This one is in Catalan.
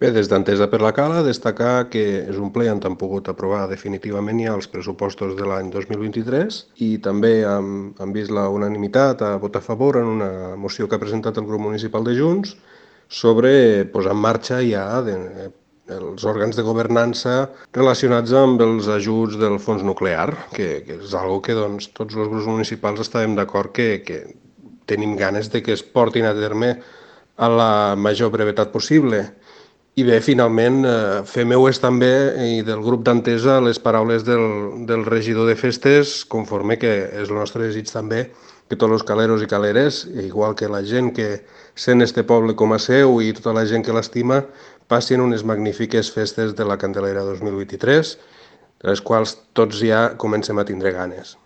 Bé, des d'Entesa per la Cala, destacar que és un ple on han pogut aprovar definitivament ja els pressupostos de l'any 2023 i també han vist la unanimitat a votar a favor en una moció que ha presentat el grup municipal de Junts sobre posar en marxa ja els òrgans de governança relacionats amb els ajuts del fons nuclear, que és algo que doncs, tots els grups municipals estàvem d'acord que tenim ganes de que es portin a terme a la major brevetat possible. I bé, finalment, fer meues també i del grup d'Entesa les paraules del regidor de festes, conforme que és el nostre desig també que tots els caleros i caleres, igual que la gent que sent este poble com a seu i tota la gent que l'estima, passin unes magnífiques festes de la Candelera 2023, de les quals tots ja comencem a tindre ganes.